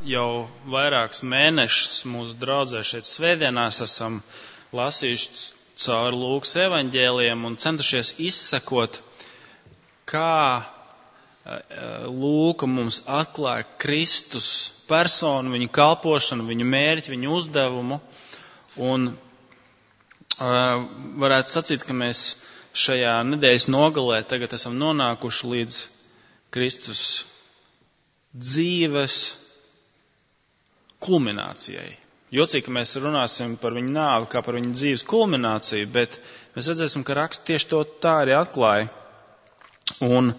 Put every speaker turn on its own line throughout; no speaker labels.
jau vairākus mēnešus mūsu draudzē šeit svētdienās esam lasījuši caur Lūkas evaņģēlijiem un centušies izsekot, kā Lūka mums atklāja Kristus personu, viņu kalpošanu, viņu mērķi, viņu uzdevumu. Un varētu sacīt, ka mēs šajā nedēļas nogalē tagad esam nonākuši līdz Kristus dzīves kulminācijai. Jocīgi, ka mēs runāsim par viņu nāvi kā par viņu dzīves kulmināciju, bet mēs redzēsim, ka raksts tieši to tā arī atklāja. Un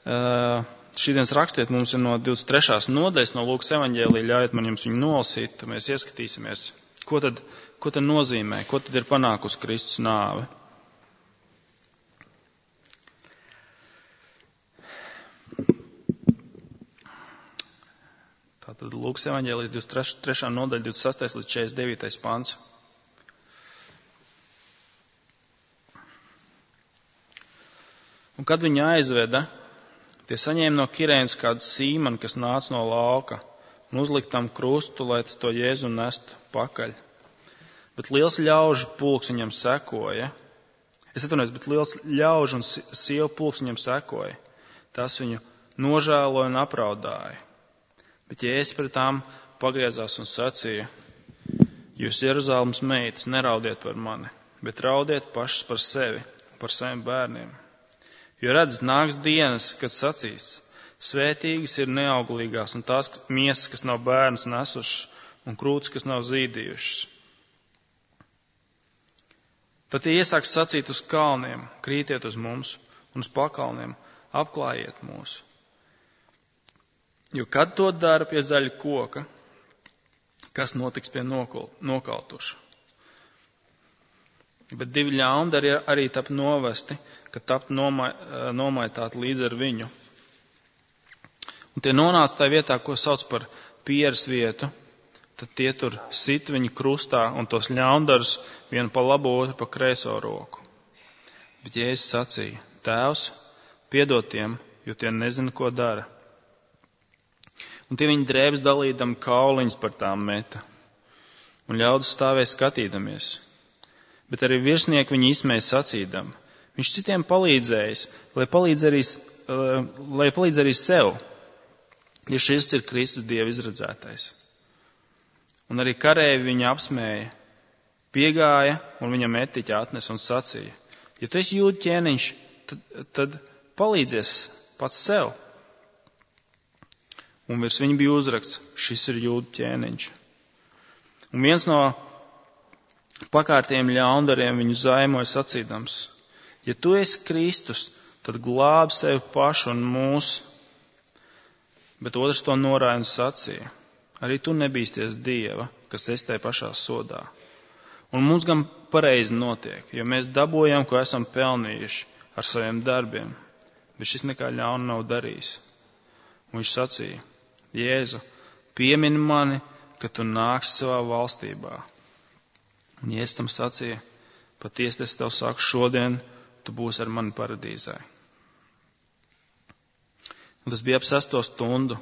šīdienas rakstiet mums ir no 23. nodaļas no Lūkas evaņģēlija, ļaujiet man jums viņu nolasīt, tad mēs ieskatīsimies, ko tad nozīmē, ko tad ir panākusi Kristus nāve. Tātad Lūkas evaņģēlijas 23. nodaļa, 26. līdz 49. pants. Un kad viņa aizveda, tie saņēma no Kirēnas kādu Sīmanu, kas nāca no lauka, un uzlika tam krustu, lai tas to Jēzu nestu pakaļ. Bet liels ļaužu pulks viņam sekoja. Bet liels ļaužu un sievu pulks viņam sekoja. Tas viņu nožēloja un apraudāja. Bet Jēzus pret tām pagriezās un sacīja: Jūs, Jeruzalemes meitas, neraudiet par mani, bet raudiet pašas par sevi un par saviem bērniem. Jo redzat, nāks dienas, kad sacīs: Svētīgas ir neauglīgās un tās miesas, kas nav bērnus nesušas, un krūtis, kas nav zīdījušas. Tad tie iesāks sacīt uz kalniem: Krītiet uz mums, un uz pakalniem: Apklājiet mūs. Jo kad to dara pie zaļa koka, kas notiks pie nokautuša? Bet divi ļaundari arī tap novesti, ka tapt nomaitāti līdz ar viņu. Un tie nonāca tā vietā, ko sauc par pieres vietu, tad tie tur sit viņu krustā un tos ļaundarus vienu pa labo, otru pa kreiso roku. Bet Jēzus sacīja: Tēvs, piedod tiem, jo tie nezina, ko dara. Un tie viņa drēbes dalīdam kauliņus par tām meta. Un ļaudis stāvēja skatīdamies. Bet arī virsnieki viņu izsmēja sacīdam: Viņš citiem palīdzējis, lai palīdz arī sev, ja šis ir Kristus Dieva izredzētais. Un arī karēvi viņu apsmēja, piegāja un viņam etiķi atnes un sacīja: Ja tu esi jūdu ķēniņš, tad palīdzies pats sev. Un virs viņa bija uzraksts: Šis ir jūdu ķēniņš. Un viens no pakārtiem ļaundariem viņu zaimoja sacīdams: Ja tu esi Kristus, tad glābi sevi pašu un mūs. Bet otrs to norāja un sacīja: Arī tu nebīsties Dieva, kas esi tai pašā sodā. Un mums gan pareizi notiek, jo mēs dabojam, ko esam pelnījuši ar saviem darbiem, bet šis nekā ļauna nav darījis. Un viņš sacīja: Jēzu, piemini mani, kad tu nāksi savā valstībā. Un Jēzus tam sacīja: Patiesi es tev saku, šodien tu būsi ar mani paradīzē. Un tas bija ap 6. stundu.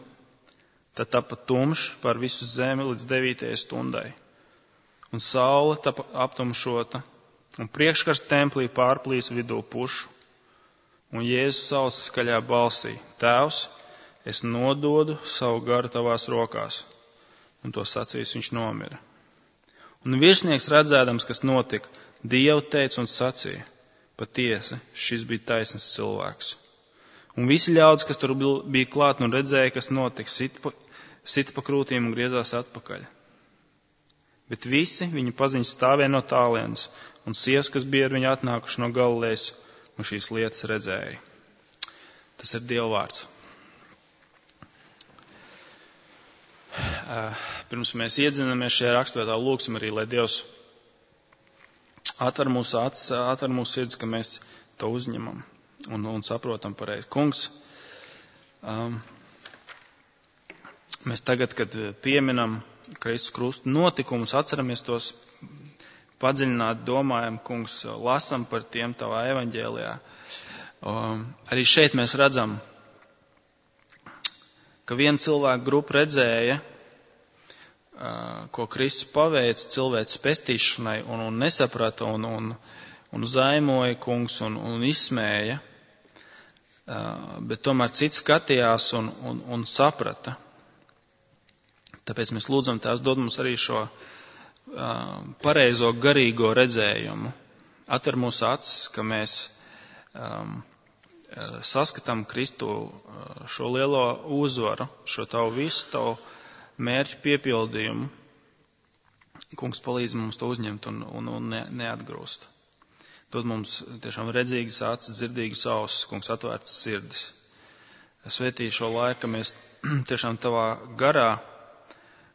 Tad tapa tumšs par visu zemi līdz 9. stundai. Un saule tapa aptumšota, un priekškars templī pārplīs vidū pušu. Un Jēzus sauca skaļā balsī: Tēvs, es nododu savu garu tavās rokās. Un to sacījis viņš nomira. Un virsnieks redzēdams, kas notika, Dievu teica un sacīja: Patiesi, šis bija taisns cilvēks. Un visi ļaudis, kas tur bija klāt un redzēja, kas notika, sita pa krūtīm un griezās atpakaļ. Bet visi viņa paziņas stāvēja no tālienes, un sievas, kas bija ar viņu atnākuši no Galilejas, un šīs lietas redzēja. Tas ir Dieva vārds. Pirms mēs iedzinamies šajā rakstvietā, lūgsim arī, lai Dievs atver mūsu acis, atver mūsu sirds, ka mēs to uzņemam un saprotam pareizi. Kungs, mēs tagad, kad pieminam Kristus krustu notikumus, atceramies tos padziļināt, domājam, Kungs, lasam par tiem tavā evaņģēlijā. Arī šeit mēs redzam, ka viena cilvēka grupa redzēja ko Kristus paveic cilvēces pestīšanai un nesaprata un zaimoja kungs un izsmēja, bet tomēr cits skatījās un saprata. Tāpēc mēs lūdzam Tēvs dod mums arī šo pareizo garīgo redzējumu. Atver mūsu acis, ka mēs saskatām Kristu šo lielo uzvaru, šo tavu visu, tavu mērķu piepildījumu. Kungs palīdz mums to uzņemt un neatgrūst. Dod mums tiešām redzīgas acis, dzirdīgas ausis, Kungs atvērtas sirdis. Svētī šo laiku, ka mēs tiešām tavā garā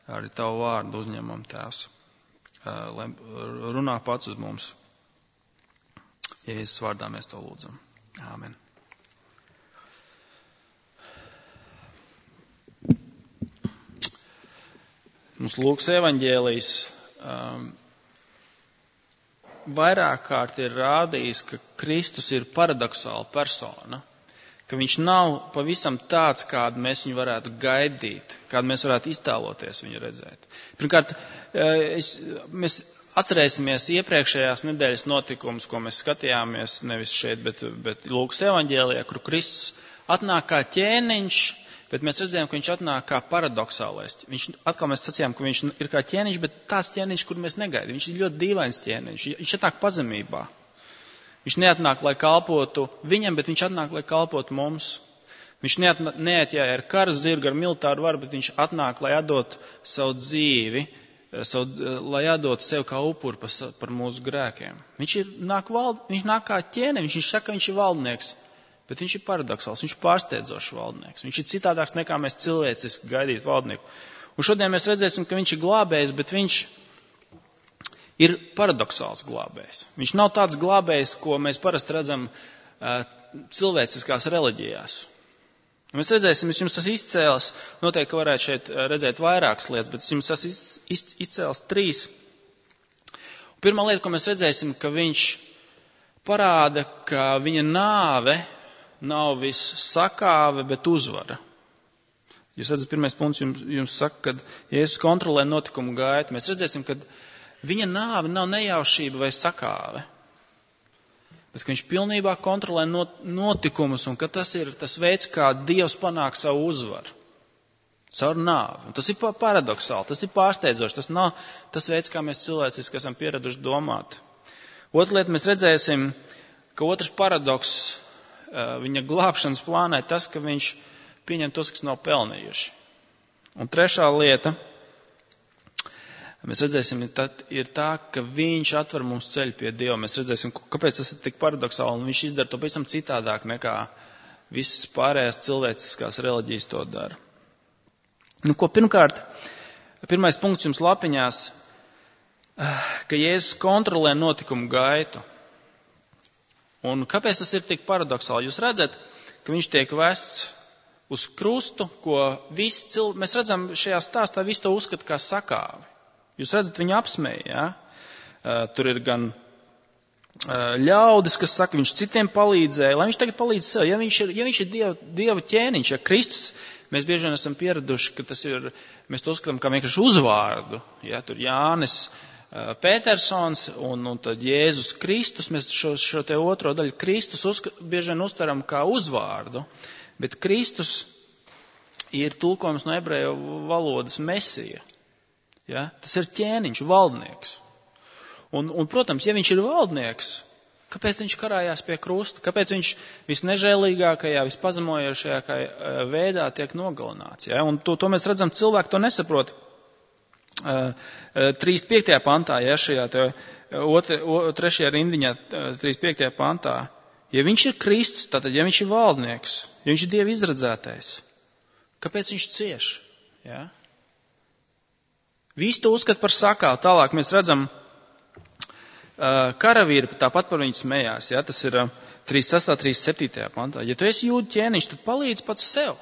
arī tavu vārdu uzņemam, Tēvs. Lai runā pats uz mums. Jēzus vārdā mēs to lūdzam. Āmen. Mums Lūkas evaņģēlijs vairāk kārt ir rādījis, ka Kristus ir paradoxāla persona, ka viņš nav pavisam tāds, kādu mēs viņu varētu gaidīt, kādu mēs varētu iztēloties viņu redzēt. Pirmkārt, mēs atcerēsimies iepriekšējās nedēļas notikumus, ko mēs skatījāmies nevis šeit, bet Lūkas evaņģēlijā, kur Kristus atnāk kā ķēniņš, bet mēs redzējām, ka viņš atnāk kā paradoxālais. Atkal mēs sacījām, ka viņš ir kā ķēniņš, bet tāds ķēniņš, kur mēs negaidām. Viņš ir ļoti dīvains ķēniņš. Viņš atnāk pazemībā. Viņš neatnāk, lai kalpotu viņam, bet viņš atnāk, lai kalpotu mums. Viņš neatjāja ar kara zirgu, ar militāru varu, bet viņš atnāk, lai atdot savu dzīvi, lai atdot sev kā upuri par mūsu grēkiem. Viņš nāk kā ķēniņš, viņš saka, ka viņš ir valdnieks. Bet viņš ir paradoxāls, viņš ir pārsteidzošs valdnieks. Viņš ir citādāks nekā mēs cilvēciski gaidītu valdnieku. Un šodien mēs redzēsim, ka viņš ir glābējs, bet viņš ir paradoxāls glābējs. Viņš nav tāds glābējs, ko mēs parasti redzam cilvēciskās reliģijās. Un mēs redzēsim, es jums tas izcēls, noteikti, ka varētu šeit redzēt vairākas lietas, bet es jums tas izcēls 3. Pirmā lieta, ko mēs redzēsim, ka viņš parāda, ka viņa nāve nav viss sakāve, bet uzvara. Jūs redzat, pirmais punkts jums saka, ka Jēzus kontrolē notikumu gaitu. Mēs redzēsim, ka viņa nāve nav nejaušība vai sakāve, bet ka viņš pilnībā kontrolē notikumus un ka tas ir tas veids, kā Dievs panāk savu uzvaru. Caur nāvi. Un tas ir paradoxāli, tas ir pārsteidzoši, tas nav tas veids, kā mēs cilvēciski esam pieraduši domāt. Otra lieta, mēs redzēsim, ka otrs paradoks viņa glābšanas plānā ir tas, ka viņš pieņem tos, kas nav pelnījuši. Un trešā lieta, mēs redzēsim, ir tā, ka viņš atver mums ceļu pie Dieva. Mēs redzēsim, kāpēc tas ir tik paradoxāli, un viņš izdara to pavisam citādāk nekā visas pārējās cilvēciskās reliģijas to dara. Pirmkārt, pirmais punkts jums lapiņās, ka Jēzus kontrolē notikumu gaitu. Un kāpēc tas ir tik paradoxāli? Jūs redzat, ka viņš tiek vests uz krustu, ko mēs redzam šajā stāstā, visu to uzskata kā sakāvi. Jūs redzat, viņu apsmēja, ja? Tur ir gan ļaudis, kas saka, viņš citiem palīdzēja, lai viņš tagad palīdz sev. Ja viņš ir Dieva ķēniņš, ja Kristus, mēs bieži vien esam pieraduši, ka tas ir, mēs to uzskatām kā vienkārši uzvārdu. Ja? Tur Jānis Pētersons un tad Jēzus Kristus, mēs šo te otro daļu Kristus bieži vien uztveram kā uzvārdu, bet Kristus ir tulkojums no ebreju valodas Mesija. Ja? Tas ir ķēniņš, valdnieks. Un, protams, ja viņš ir valdnieks, kāpēc viņš karājās pie krusta? Kāpēc viņš visnežēlīgākajā, vispazemojošajā veidā tiek nogalināts? Ja? Un to mēs redzam, cilvēki to nesaprot. 35. pantā, ja šajā trešajā rindiņā, 35. pantā, ja viņš ir Kristus, tātad, ja viņš ir valdnieks, ja viņš ir Dieva izredzētais, kāpēc viņš cieš? Ja? Visi to uzskata par sakāvu. Tālāk mēs redzam, karavīri tāpat par viņu smējās. Ja? Tas ir 36. 37. pantā. Ja tu esi jūdu ķēniņš, tad palīdz pats sev.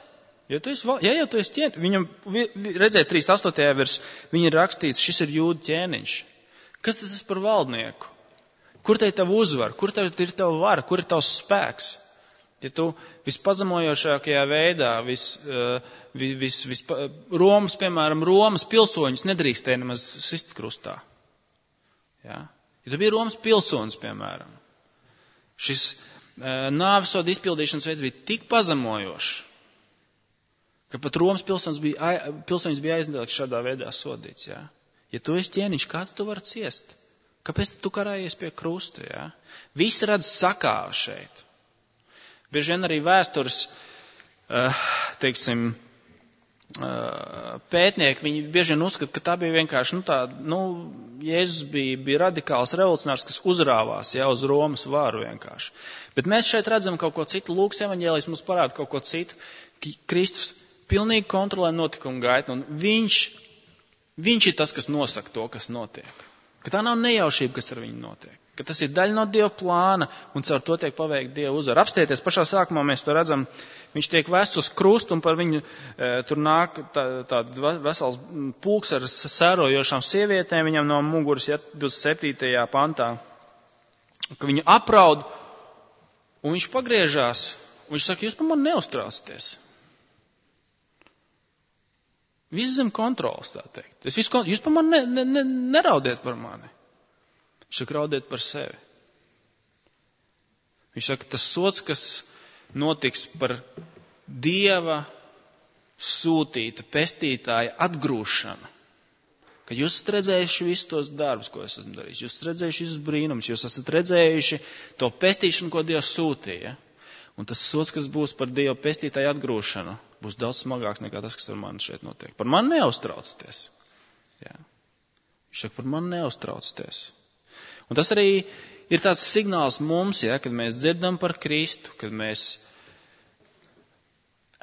Ja tu esi ķēniņš, viņam redzēja 38. vers, viņa ir rakstīts, šis ir jūdu ķēniņš. Kas tas ir par valdnieku? Kur te ir tava uzvara? Kur te ir tava vara? Kur ir tavs spēks? Ja tu vispazemojošākajā veidā, Romas pilsoņus nedrīkstēja nemaz sist krustā. Ja? Ja tu biji Romas pilsonis, piemēram, šis nāvesoda izpildīšanas veids bija tik pazemojošs, ka pat Romas pilsonis bija aizliegts šādā veidā sodīts. Ja? Ja tu esi ķēniņš, kā tu vari ciest? Kāpēc tu karājies pie krusta? Ja? Visi redz sakāvi šeit. Bieži vien arī vēstures, pētnieki, viņi bieži vien uzskata, ka tā bija vienkārši, Jēzus bija radikāls revolucionārs, kas uzrāvās, ja, uz Romas varu vienkārši. Bet mēs šeit redzam kaut ko citu. Lūkas evaņģēlijs mums parāda kaut ko citu. Kristus pilnīgi kontrolē notikumu gaitu, un viņš ir tas, kas nosaka to, kas notiek. Ka tā nav nejaušība, kas ar viņu notiek. Ka tas ir daļa no Dieva plāna, un caur to tiek paveikta Dieva uzvara. Apstieties, pašā sākumā mēs to redzam, viņš tiek vests uz krustu, un par viņu tur nāk tāda vesels pulks ar sērojošām sievietēm, viņam no muguras, 27. pantā, ka viņu apraud, un viņš pagriežās, un viņš saka, jūs par mani neuztraucaties. Viss zem kontrolas, tā teikt. Jūs par mani neraudiet par mani. Viņš saka, raudiet par sevi. Viņš saka, tas sods, kas notiks par Dieva sūtīta, pestītāja atgrūšanu. Ka jūs esat redzējuši visus tos darbus, ko es esmu darījis. Jūs esat redzējuši visus brīnumus. Jūs esat redzējuši to pestīšanu, ko Dievs sūtīja. Un tas sods, kas būs par Dieva pestītāju atgrūšanu, būs daudz smagāks nekā tas, kas ar mani šeit notiek. Par mani neuztraucaties. Jā. Viņš saka, par mani neuztraucaties. Un tas arī ir tāds signāls mums, ja, kad mēs dzirdam par Kristu, kad mēs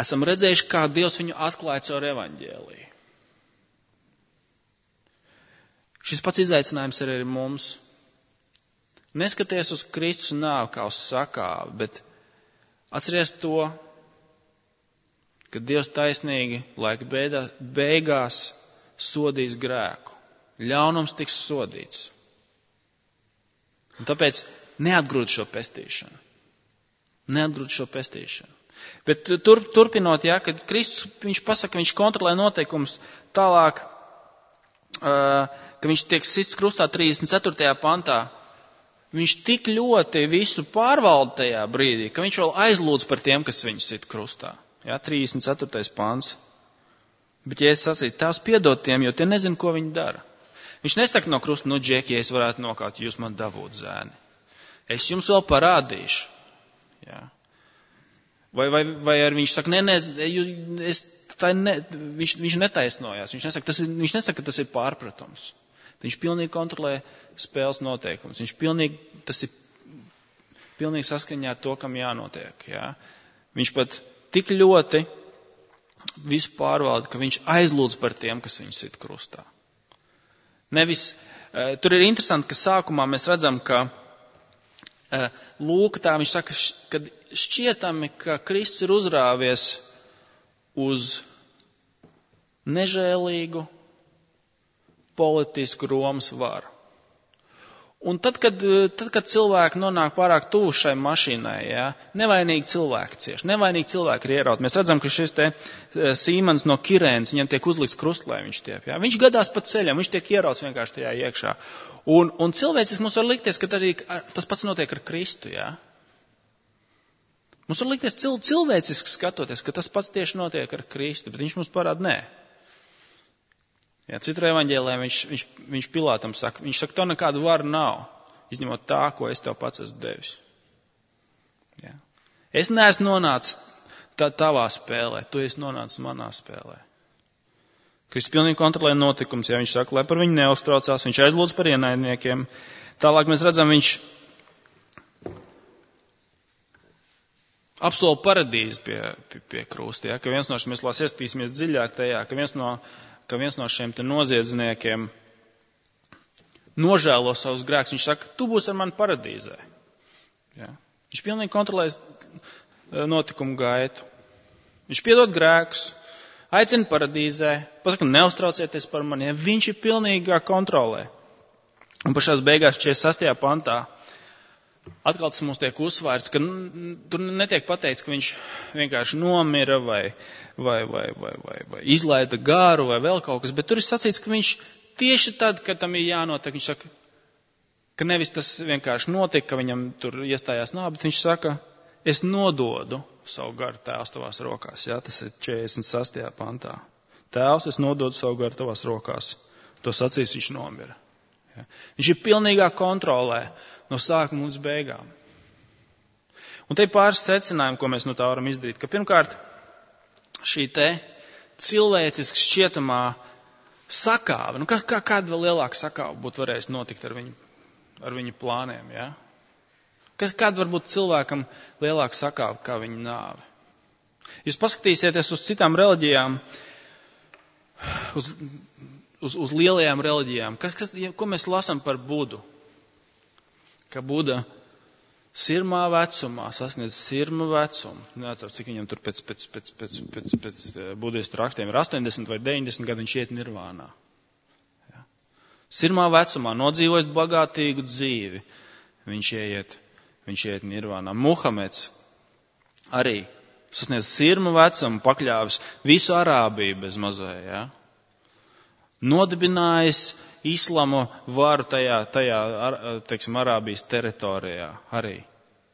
esam redzējuši, kā Dievs viņu atklāja caur evaņģēliju. Šis pats izaicinājums ir arī mums. Neskaties uz Kristus nāvi kā uz sakāvi, bet atceries to, ka Dievs taisnīgi laika beigās sodīs grēku. Ļaunums tiks sodīts. Un tāpēc neatgrūd šo pestīšanu. Neatgrūd šo pestīšanu. Bet turpinot, ja, kad Kristus, viņš pasaka, viņš kontrolē noteikumus tālāk, ka viņš tiek sists krustā 34. pantā, viņš tik ļoti visu pārvalda tajā brīdī, ka viņš vēl aizlūdz par tiem, kas viņu sit krustā. Ja, 34. pants. Bet ja es sacītu, tās piedod tiem, jo tie nezin, ko viņi dara. Viņš nesaka no krusta, Džeki, ja es varētu nokaut, jūs man dabūt zēni. Es jums vēl parādīšu. Ja. Vai arī viņš saka, viņš netaisnojās. Viņš nesaka, ka tas ir pārpratums. Viņš pilnīgi kontrolē spēles noteikumus. Tas ir pilnīgi saskaņā ar to, kam jānotiek. Ja. Viņš pat tik ļoti visu pārvalda, ka viņš aizlūdz par tiem, kas viņu sit krustā. Tur ir interesanti, ka sākumā mēs redzam, ka Lūka tā viņš saka, ka šķietami, ka Kristus ir uzrāvies uz nežēlīgu politisku Romas varu. Un tad, kad cilvēki nonāk pārāk tuvu šai mašīnai, ja, nevainīgi cilvēki cieši, nevainīgi cilvēki ir ierauti. Mēs redzam, ka šis te Sīmans no Kirēnas, viņam tiek uzlikts krust, lai viņš tiep. Ja. Viņš gadās pa ceļam, viņš tiek ierauts vienkārši tajā iekšā. Un cilvēciski mums var likties, ka tas pats notiek ar Kristu. Ja. Mums var likties cilvēciski skatoties, ka tas pats tieši notiek ar Kristu, bet viņš mums parāda, nē. Ja, citur evaņģēlē viņš Pilātam saka, viņš saka, tev nekādu varu nav, izņemot tā, ko es tev pats esmu devis. Ja. Es neesmu nonācis tavā spēlē, tu esi nonācis manā spēlē. Kristus pilnīgi kontrolē notikums, ja viņš saka, lai par viņu neuztraucās, viņš aizlūdz par ienaidniekiem. Tālāk mēs redzam, viņš apsola paradīzi pie krusta, ja, ka viens no šiem, mēs lās ieskatīsimies dziļāk tajā, ka viens no šiem te noziedzniekiem nožēlo savus grēkus. Viņš saka, tu būsi ar mani paradīzē. Ja. Viņš pilnīgi kontrolē notikumu gaitu. Viņš piedod grēkus, aicina paradīzē, pasaka, neuztraucieties par mani. Ja. Viņš ir pilnīgā kontrolē. Un pašās beigās 46. pantā atkal tas mums tiek uzsvērts, ka tur netiek pateikts, ka viņš vienkārši nomira vai izlaida garu vai vēl kaut kas, bet tur ir sacīts, ka viņš tieši tad, kad tam ir jānotiek, viņš saka, ka nevis tas vienkārši notika, ka viņam tur iestājās nāve, bet viņš saka, es nododu savu garu Tēvs tavās rokās. Jā, tas ir 46. pantā. Tēvs, es nododu savu garu tavās rokās. To sacīs, viņš nomira. Jā. Viņš ir pilnīgā kontrolē no sākuma līdz beigām. Un te ir pāris secinājumi, ko mēs no tā varam izdarīt. Ka pirmkārt, šī te cilvēciski šķietamā sakāve, kāda vēl lielāka sakāve būtu varējis notikt ar viņu plāniem, jā? Kāda var būt cilvēkam lielāka sakāve kā viņa nāve? Jūs paskatīsieties uz citām reliģijām, uz lielajām reliģijām. Ko mēs lasām par Budu? Ka Buda sirmā vecumā sasniedz sirma vecumu. Neatceros, cik viņam tur pēc budistu rakstiem ir 80 vai 90 gadu viņš iet nirvānā. Ja. Sirmā vecumā nodzīvojot bagātīgu dzīvi, viņš iet nirvānā. Muhameds arī sasniedz sirma vecumu, pakļāvis visu Arābiju bez mazai, ja. Nodibinājis islamu varu tajā teiksim, Arābijas teritorijā arī.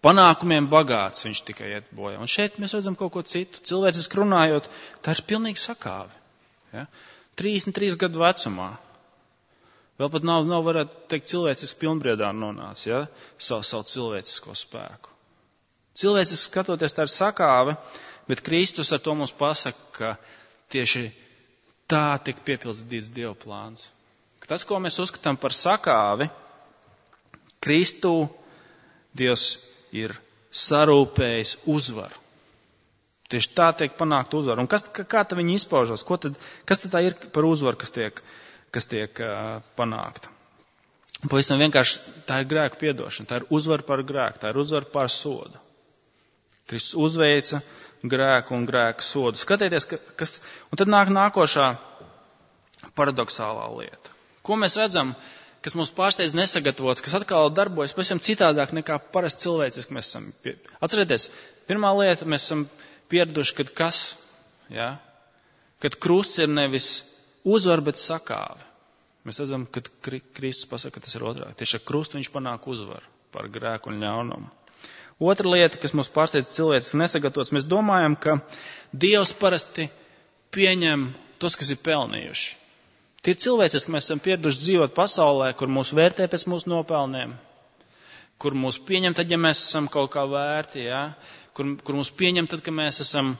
Panākumiem bagāts viņš tikai iet bojā. Un šeit mēs redzam kaut ko citu. Cilvēciski runājot, tā ir pilnīgi sakāve. Ja? 33 gadu vecumā. Vēl pat nav varētu teikt, cilvēciski pilnbriedā nonācis, ja? savu cilvēcisko spēku. Cilvēciski skatoties, tā ir sakāve, bet Kristus ar to mums pasaka, ka tieši tā tika piepildīts Dieva plāns. Tas, ko mēs uzskatām par sakāvi, Kristū Dievs ir sarūpējis uzvaru. Tieši tā tiek panākt uzvaru. Un kā tā viņi izpaužas? Kas tad tā ir par uzvaru, kas tiek panākta? Pavisam vienkārši tā ir grēku piedošana, tā ir uzvara par grēku, tā ir uzvara par sodu. Kristus uzveica grēku un grēku sodu. Skatieties, un tad nāk nākošā paradoxālā lieta. Ko mēs redzam, kas mums pārsteidz nesagatavots, kas atkal darbojas pavisam citādāk nekā parasti cilvēciski mēs esam. Atcerieties, pirmā lieta, mēs esam pieraduši, kad krusts ir nevis uzvar, bet sakāve. Mēs redzam, ka Kristus pasaka, ka tas ir otrāk. Tieši ar krustu viņš panāk uzvaru par grēku un ļaunumu. Otra lieta, kas mums pārsteidz cilvēciski nesagatavots, mēs domājam, ka Dievs parasti pieņem tos, kas ir pelnījuši. Tie ir cilvēciski, mēs esam pieraduši dzīvot pasaulē, kur mūs vērtē pēc mūsu nopelniem, kur mūs pieņem tad, ja mēs esam kaut kā vērti, ja? Kur mūs pieņem tad, ka mēs esam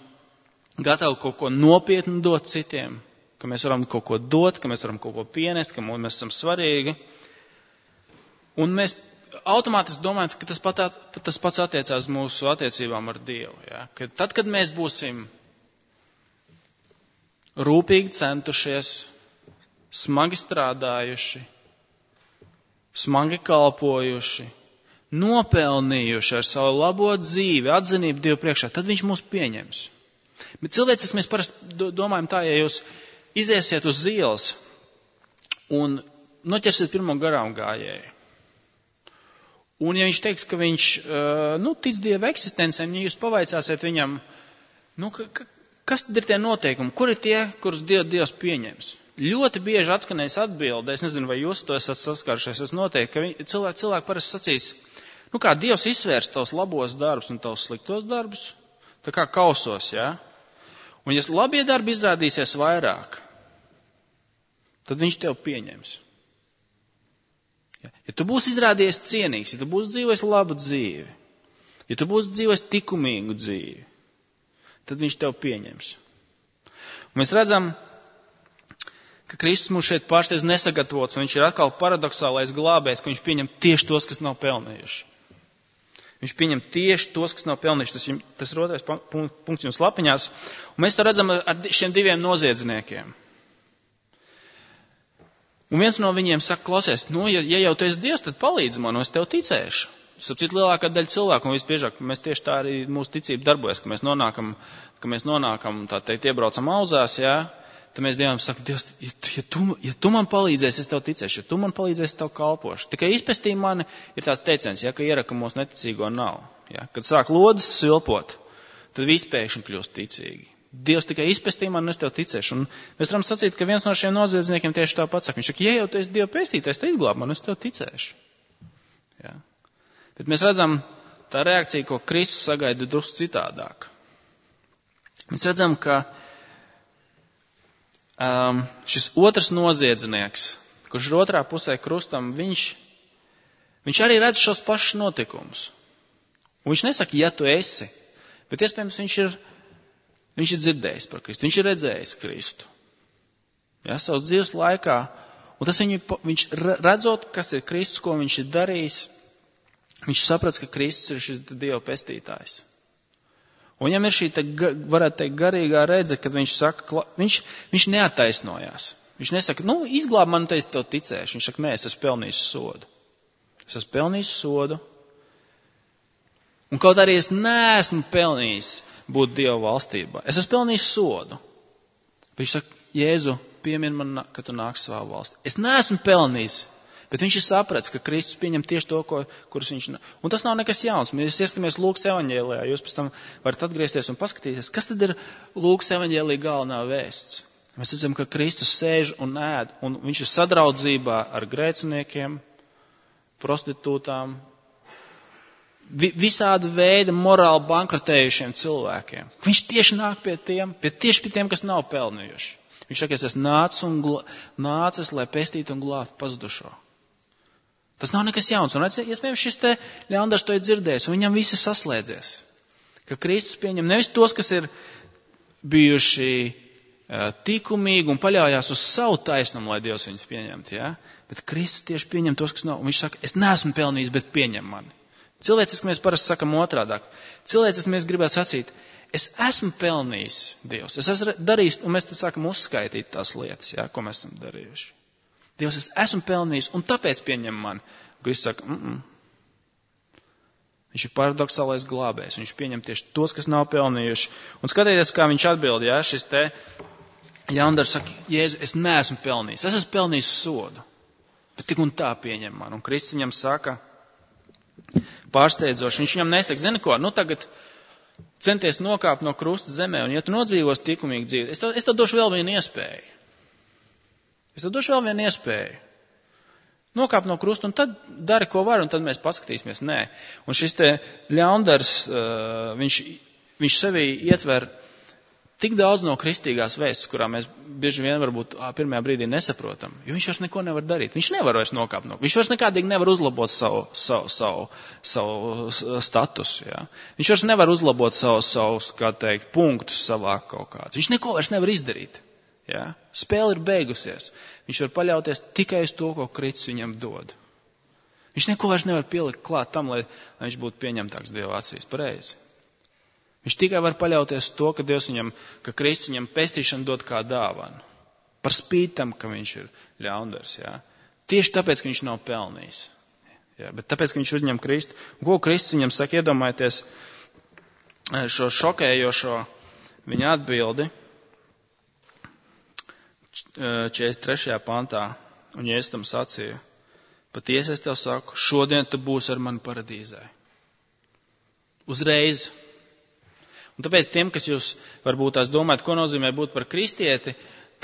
gatavi kaut ko nopietnu dot citiem, ka mēs varam kaut ko dot, ka mēs varam kaut ko pienest, ka mēs esam svarīgi. Un mēs automātiski domājam, ka tas pats attiecās mūsu attiecībām ar Dievu. Ja? Ka tad, kad mēs būsim rūpīgi centušies, smagi strādājuši, smagi kalpojuši, nopelnījuši ar savu labo dzīvi, atzinību Dievu priekšā, tad viņš mūs pieņems. Bet cilvēciski mēs parasti domājam tā, ja jūs iziesiet uz ielas un noķersiet pirmo garām gājēju. Un ja viņš teiks, ka viņš tic Dieva eksistencēm, ja jūs pavaicāsiet viņam, kas tad ir tie noteikumi, kur ir tie, kurus Dievs pieņems? Ļoti bieži atskanēs atbilde, es nezinu, vai jūs to esat saskārušies, es noteikti, ka cilvēki parasti sacīs, kā Dievs izsvērs tavus labos darbus un tavus sliktos darbus, tā kā kausos, jā? Un ja labie darbi izrādīsies vairāk, tad viņš tev pieņems. Ja tu būsi izrādījies cienīgs, ja tu būsi dzīvojis labu dzīvi, ja tu būsi dzīvojis likumīgu dzīvi, tad viņš tev pieņems. Un mēs redzam, ka Kristus mūs šeit pārsteidz nesagatavots, un viņš ir atkal paradoxālais glābējs, ka viņš pieņem tieši tos, kas nav pelnījuši. Viņš pieņem tieši tos, kas nav pelnījuši. Tas ir otrais punkts jums lapiņās. Un mēs to redzam ar šiem diviem noziedzniekiem. Un viens no viņiem saka, klausies, ja jau tu esi Dievs, tad palīdzi man, es tev ticēšu. Sapcīt lielākā daļa cilvēku, un visbiežāk mēs tieši tā arī mūsu ticība darbojas, ka mēs nonākam, tā teikt, iebraucam auzās, jā. tad mēs Dievam sakam, Dievs, ja tu man palīdzēsi, es tev ticēšu, ja tu man palīdzēsi, es tev kalpošu. Tikai izpestī mani ir tāds teiciens, ja, ka ieraka mūsu neticīgo nav. Ja. Kad sāk lodes svilpot, tad visi pēkšņi kļūst ticīgi. Dievs tikai izpestī mani, es tev ticēšu. Un mēs varam sacīt, ka viens no šiem noziedzniekiem tieši tāpat saka. Viņš saka, ja jau tu esi Dieva pestītājs, te izglāb mani, es tev ticēšu. Ja. Bet mēs redzam, tā reakcija, ko Kristus sagaida, ir drusku citādāk. Mēs redzam, ka šis otrs noziedznieks, kurš ir otrā pusē krustam, viņš arī redz šos pašus notikumus. Un viņš nesaka, ja tu esi, bet iespējams viņš ir dzirdējis par Kristu, viņš ir redzējis Kristu. Ja, savas dzīves laikā. Un tas viņš redzot, kas ir Kristus, ko viņš ir darījis, viņš saprats, ka Kristus ir šis Dieva pestītājs. Un viņam ir šī, varētu teikt, garīgā redze, kad viņš saka, viņš neattaisnojās. Viņš nesaka, izglāb man, es tev ticēšu. Viņš saka, nē, es esmu pelnījis sodu. Es esmu pelnījis sodu. Un kaut arī es neesmu pelnījis būt Dieva valstībā. Es esmu pelnījis sodu. Viņš saka, Jēzu, piemin man, ka tu nāks savā valstī. Es neesmu pelnījis. Bet viņš ir sapratis, ka Kristus pieņem tieši to, kurus viņš... Un tas nav nekas jauns. Mēs ieskatāmies Lūkas evaņģēlijā. Jūs pēc tam varat atgriezties un paskatīties, kas tad ir Lūkas evaņģēlijā galvenā vēsts. Mēs redzam, ka Kristus sēž un ēd, un viņš ir sadraudzībā ar grēciniekiem, prostitūtām, visāda veida morāli bankrotējušiem cilvēkiem. Viņš tieši nāk pie tiem, kas nav pelnījuši. Viņš saka, es esmu nācis, lai pestītu un glābtu pazudušo. Tas nav nekas jauns. Un iespējams šis te ļaundars to ir dzirdējis, un viņam visi saslēdzies. Ka Kristus pieņem nevis tos, kas ir bijuši tikumīgi un paļaujās uz savu taisnumu, lai Dievs viņus pieņemtu. Ja? Bet Kristus tieši pieņem tos, kas nav. Un viņš saka, es neesmu pelnījis, bet pieņem mani. Cilvēciski mēs parasti sakam otrādāk. Cilvēciski mēs gribētu sacīt, es esmu pelnījis Dievs. Es esmu darījis, un mēs te sākam uzskaitīt tās lietas, ja, ko mēs esam darījuši. Dievs, es esmu pelnījis, un tāpēc pieņem mani. Kristus saka, Viņš ir paradoxālais glābējs. Viņš pieņem tieši tos, kas nav pelnījuši. Un skatieties, kā viņš atbild, ja, šis te ļaundars saka, Jēzu, es neesmu pelnījis. Es esmu pelnījis sodu. Bet tik un tā pieņem mani. Un Kristus viņam saka, pārsteidzoši, viņš viņam nesaka, zini ko, tagad centies nokāpt no krusta zemē, un ja tu nodzīvos tikumīgi dzīvi, es tev došu vēl vienu iespēju. Nokāp no krusta, un tad dari, ko var, un tad mēs paskatīsimies. Nē. Un šis te ļaundars, viņš sevī ietver tik daudz no kristīgās vēstas, kurā mēs bieži vien varbūt pirmajā brīdī nesaprotam, jo viņš vairs neko nevar darīt. Viņš nevar vairs nokāpt no. Viņš vairs nekādīgi nevar uzlabot savu statusu. Ja. Viņš vairs nevar uzlabot savus, kā teikt, punktus savā kaut kādus. Viņš neko vairs nevar izdarīt. Ja. Spēle ir beigusies. Viņš var paļauties tikai uz to, ko Kristus viņam dod. Viņš neko vairs nevar pielikt klāt tam, lai viņš būtu pieņemtāks Dieva acīs. Pareizi. Viņš tikai var paļauties to, ka Kristus viņam pestīšanu dod kā dāvanu. Par spīti tam, ka viņš ir ļaundars. Ja. Tieši tāpēc, ka viņš nav pelnījis. Ja. Bet tāpēc, ka viņš uzņem Kristu. Un ko Kristus viņam saka, iedomājieties šo šokējošo viņa atbildi. 43. pantā, un Jēzus tam sacīja, patiesi es tev saku, šodien tu būsi ar mani paradīzē. Uzreiz. Un tāpēc tiem, kas jūs varbūt tās domājat, ko nozīmē būt par kristieti,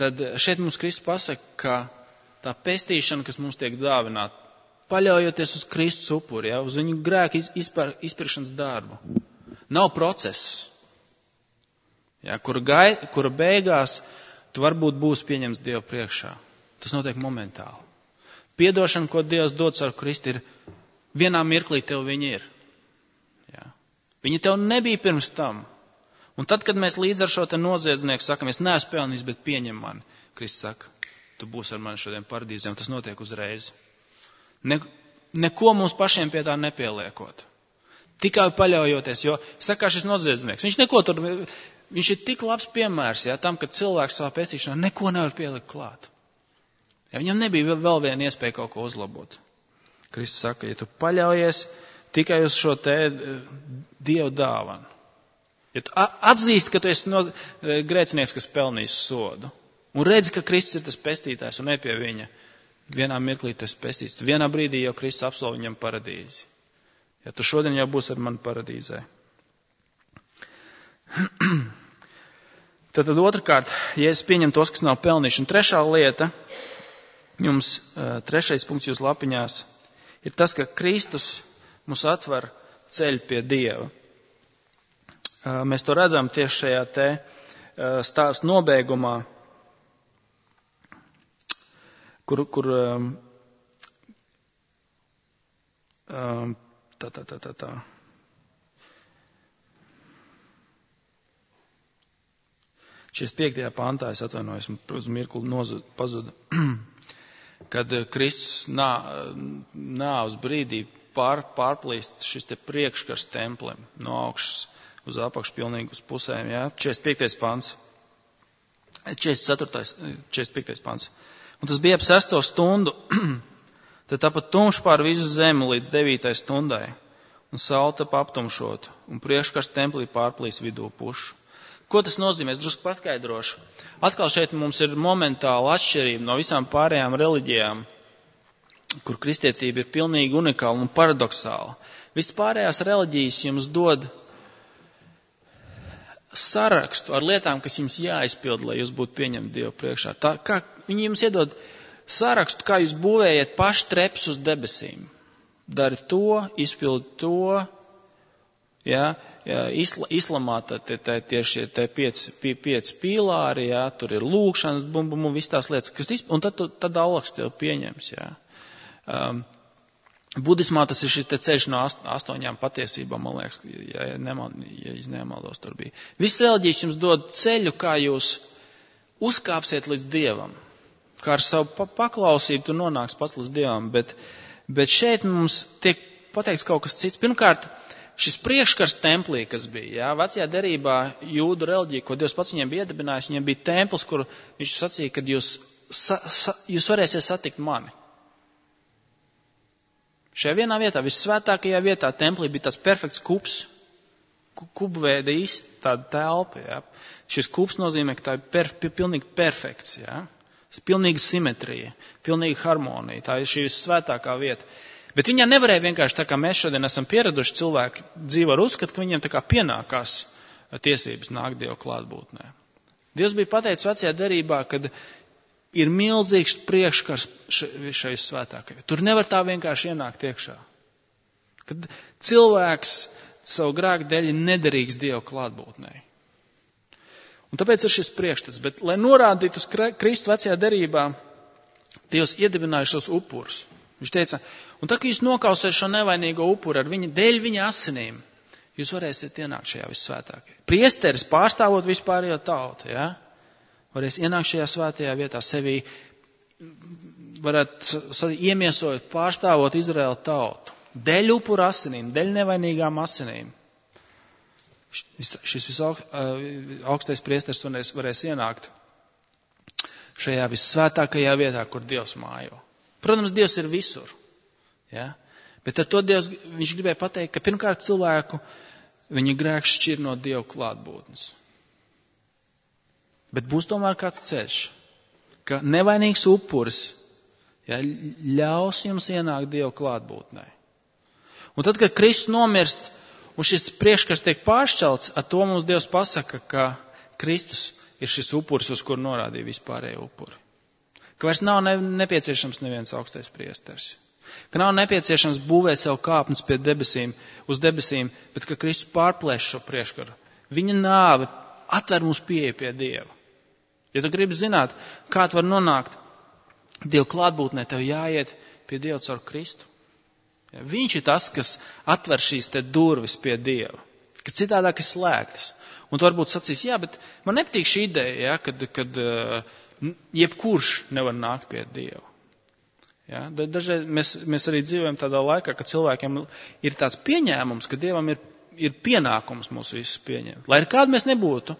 tad šeit mums Kristus pasaka, ka tā pestīšana, kas mums tiek dāvināta, paļaujoties uz Kristus upuri, ja, uz viņu grēku izpirkšanas darbu, nav process, ja, kura beigās tu varbūt būsi pieņemts Dieva priekšā. Tas notiek momentāli. Piedošana, ko Dievs dod ar Kristu, ir vienā mirklī tev viņa ir. Ja. Viņa tev nebija pirms tam. Un tad, kad mēs līdz ar šo te noziedznieku sakam, es neesmu pelnījis, bet pieņem mani, Kristus saka, tu būsi ar mani šodien paradīzē, un tas notiek uzreiz. Neko mums pašiem pie tā nepieliekot. Tikai paļaujoties, jo, saka, šis noziedznieks, viņš ir tik labs piemērs, ja, tam, ka cilvēks savā pestīšanā neko nevar pielikt klāt. Ja, viņam nebija vēl viena iespēja kaut ko uzlabot. Kristus saka, ja tu paļaujies tikai uz šo te Dievu dāvanu, ja tu atzīsti, ka tu esi grēcinieks, kas pelnījis sodu, Un redzi, ka Kristus ir tas pestītājs un ne pie viņa. Vienā mirklī tu esi pestīts. Vienā brīdī jau Kristus apsolīja viņam paradīzi. Ja tu šodien jau būsi ar mani paradīzē. Tad otrkārt, Jēzus pieņem tos, kas nav pelnījuši. Un trešā lieta, jums trešais punkts jūs lapiņās, ir tas, ka Kristus mums atver ceļu pie Dieva. Mēs to redzam tieši šajā te stāsta nobeigumā, kur 45. pantā, es atvainojos, uz mirkli pazuda, kad Kristus nāves brīdī pārplīst šis te priekškars templem no augšas uz apakšu pilnīgi uz pusēm, jā, 45. pants, 45. pants. Un tas bija ap 6. stundu, tad tāpat tumšs pār visu zemi līdz 9. stundai, un saule tapa aptumšot, un priekškars templī pārplīs vidū pušu. Ko tas nozīmē? Es drusku paskaidrošu. Atkal šeit mums ir momentāla atšķirība no visām pārējām reliģijām, kur kristietība ir pilnīgi unikāla un paradoxāla. Vispārējās reliģijas jums dod sarakstu ar lietām, kas jums jāizpild, lai jūs būtu pieņemti Dievu priekšā. Viņi jums iedod sarakstu, kā jūs būvējat paši treps uz debesīm. Dari to, izpildi to. Ja, islamā tieši tie 5 pīlāri, ja, tur ir lūkšanas, viss tās lietas, un tad Allahs tev pieņems. Ja. Budismā tas ir šis ceļš no 8 patiesībām, man liekas, ja nemaldos tur bija. Viss reliģijas jums dod ceļu, kā jūs uzkāpsiet līdz Dievam. Kā ar savu paklausību tu nonāks pats līdz Dievam, bet šeit mums tiek pateikts kaut kas cits. Pirmkārt, šis priekškars templī, kas bija, jā, vecajā derībā jūdu reliģija, ko Dievs pats viņiem bija iedibinājis, viņiem bija templis, kur viņš sacīja, kad jūs varēsiet satikt mani. Šajā vienā vietā, vissvētākajā vietā templī bija tāds perfekts kups, kubveida tāda telpa, jā. Šis kups nozīmē, ka tā ir pilnīgi perfekts, jā. Pilnīga simetrija, pilnīga harmonija, tā ir šī vissvētākā vieta. Bet viņā nevarēja vienkārši, tā kā mēs šodien esam pieraduši, cilvēki dzīvo ar uzskatu, ka viņiem tā kā pienākās tiesības nākt Dievu klātbūtnē. Dievs bija pateicis vecajā derībā, kad ir milzīgs priekškars šai svētākajai. Tur nevar tā vienkārši ienākt iekšā. Kad cilvēks savu grēku dēļ nederīgs Dievu klātbūtnē. Un tāpēc ir šis priekšstats. Bet, lai norādītu uz Kristu vecajā derībā, Dievs iedibināja šos upurus. Viņš teica, un tā, ka jūs nokausiet šo nevainīgo upuru ar dēļ viņa asinīm, jūs varēsiet ienākt šajā vissvētākajā. Priesteris pārstāvot vispārējo tautu, ja? Varēs ienākt šajā svētajā vietā, sevi varētu iemiesot, pārstāvot Izraēlu tautu. Dēļ upuru asinīm, dēļ nevainīgām asinīm. Šis visaugstais priesteris varēs ienākt šajā vissvētākajā vietā, kur Dievs mājo. Protams, Dievs ir visur. Ja? Bet ar to Dievs, viņš gribēja pateikt, ka pirmkārt cilvēku viņa grēks šķir no Dieva klātbūtnes. Bet būs tomēr kāds ceļš, ka nevainīgs upuris, ja, ļaus jums ienākt Dieva klātbūtnē. Un tad, kad Kristus nomirst un šis priekškars tiek pāršķelts, ar to mums Dievs pasaka, ka Kristus ir šis upuris, uz kuru norādīja vispārējo upuri. Ka vairs nav nepieciešams neviens augstais priesteris. Ka nav nepieciešams būvēt sev kāpnes pie debesīm, uz debesīm, bet ka Kristus pārplēš šo priekškaru. Viņa nāve atver mums pieeju pie Dieva. Ja tu gribi zināt, kā tu var nonākt Dieva klātbūtnē, tev jāiet pie Dieva caur Kristu. Ja, viņš ir tas, kas atver šīs te durvis pie Dieva, ka citādāk ir slēgtas. Un tu varbūt sacīs, jā, bet man nepatīk šī ideja, ja, kad jebkurš nevar nākt pie Dieva. Ja? Dažreiz mēs arī dzīvojam tādā laikā, ka cilvēkiem ir tāds pieņēmums, ka Dievam ir pienākums mūs visus pieņemt. Lai ir kāda mēs nebūtu,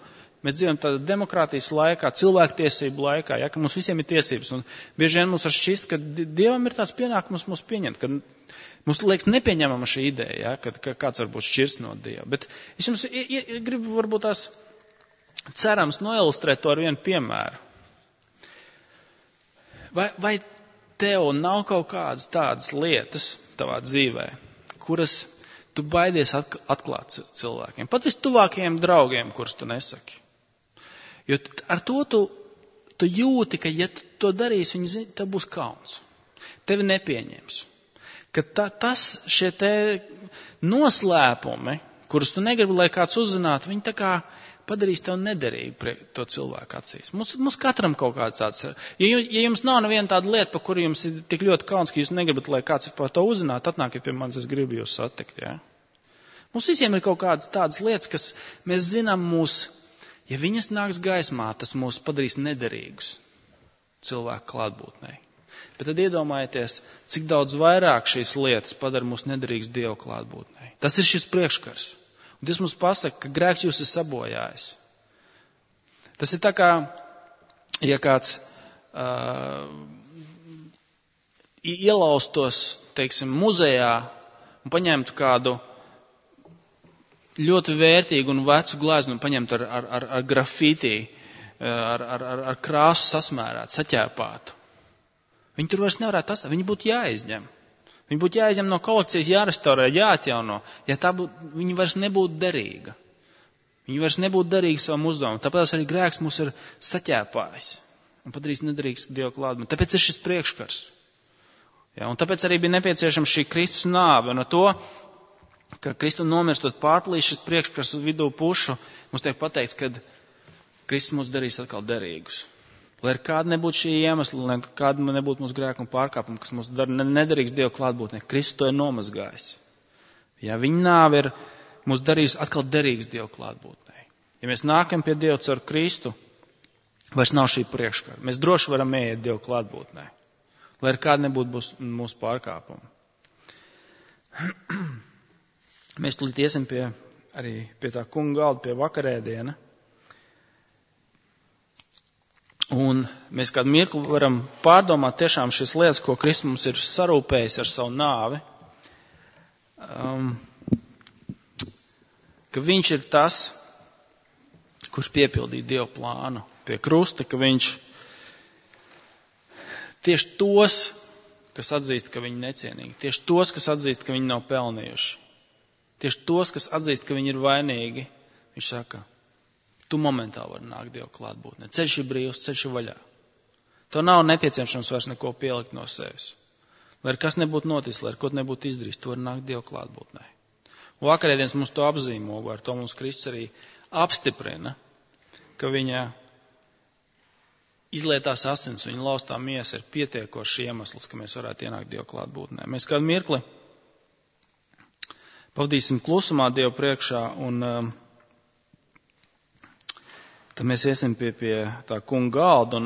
mēs dzīvojam tādā demokrātijas laikā, cilvēktiesību laikā, ja? Ka mums visiem ir tiesības. Un bieži vien mums var šķist, ka Dievam ir tāds pienākums mūs pieņemt, ka mums liekas nepieņemama šī ideja, ja? Ka kāds varbūt šķirst no Dieva. Bet es jums gribu varbūt tās cerams noilustrēt to ar vienu piemēru. Vai tev nav kaut kādas tādas lietas tavā dzīvē, kuras tu baidies atklāt cilvēkiem, pat vistuvākajiem draugiem, kurus tu nesaki? Jo ar to tu jūti, ka ja tu to darīsi, viņi zina, tev būs kauns. Tevi nepieņems. Ka šie te noslēpumi, kurus tu negribi, lai kāds uzzinātu, viņi tā kā padarīs tev nederīgu to cilvēku acīs. Mums katram kaut kāds tāds. Ja jums nav neviena tāda lieta, par kuru jums ir tik ļoti kauns, ka jūs negribat, lai kāds par to uzzinātu, atnākiet pie manis, es gribu jūs satikt. Ja? Mums visiem ir kaut kādas tādas lietas, kas mēs zinām ja viņas nāks gaismā, tas mūs padarīs nederīgus cilvēku klātbūtnei. Bet tad iedomājieties, cik daudz vairāk šīs lietas padara mūs nederīgus Dieva klātbūtnei. Tas ir šis priekškars. Un Dievs mums pasaka, ka grēks jūs ir sabojājis. Tas ir tā kā, ja kāds ielaustos, teiksim, muzejā un paņemtu kādu ļoti vērtīgu un vecu gleznu un paņemtu ar grafitī, ar krāsu sasmērētu, saķēpātu. Viņi tur vairs nevarētu atstāt, viņi būtu jāizņem. Viņi būtu jāizņem no kolekcijas, jārestaurē, jāatjauno, viņi vairs nebūtu derīga. Viņi vairs nebūtu derīgi savam uzdevumam. Tāpēc arī grēks mūs ir saķēpājis un padarījis nederīgs Dieva klātbūtnei. Tāpēc ir šis priekškars. Ja, un tāpēc arī bija nepieciešama šī Kristus nāve. Un ar to, ka Kristu nomirstot pārplīs šis priekškars uz vidū pušu, mums tiek pateikts, ka Kristus mūs darīs atkal derīgus. Lai kāda nebūtu šī iemesla, lai kāda nebūtu mūsu grēku un pārkāpumu, kas mūs dara nederīgs Dieva klātbūtnē, Kristus to ir nomazgājis. Ja viņa nāve ir mūs darījusi atkal derīgs Dieva klātbūtnē. Ja mēs nākam pie Dieva caur Kristu, vairs nav šī priekškara. Mēs droši varam ieiet Dieva klātbūtnē, lai kāda nebūtu mūsu pārkāpumu. Mēs tulīt iesim arī pie tā kunga galda, pie vakarēdiena. Un mēs kādu mirkli varam pārdomāt tiešām šīs lietas, ko Kristus mums ir sarūpējis ar savu nāvi. Ka viņš ir tas, kurš piepildīja Dieva plānu pie krusta, ka viņš tieši tos, kas atzīst, ka viņi necienīgi, tieši tos, kas atzīst, ka viņi nav pelnījuši, tieši tos, kas atzīst, ka viņi ir vainīgi, viņš saka, tu momentāli vari nākt Dieva klātbūtnē. Ceļš ir brīvs, ceļš ir vaļā. Tev nav nepieciešams vairs neko pielikt no sevis. Lai kas nebūtu noticis, lai ko nebūtu izdarījis, tu vari nākt Dieva klātbūtnē. Un vakarēdienas mums to apzīmogo, ar to mums Kristus arī apstiprina, ka viņa izlietās asins, viņa laustā miesa ir pietiekošs iemesls, ka mēs varētu ienākt Dieva klātbūtnē. Mēs kādu mirkli pavadīsim klusumā Dieva priekšā un tad mēs iesim pie tā kunga galda un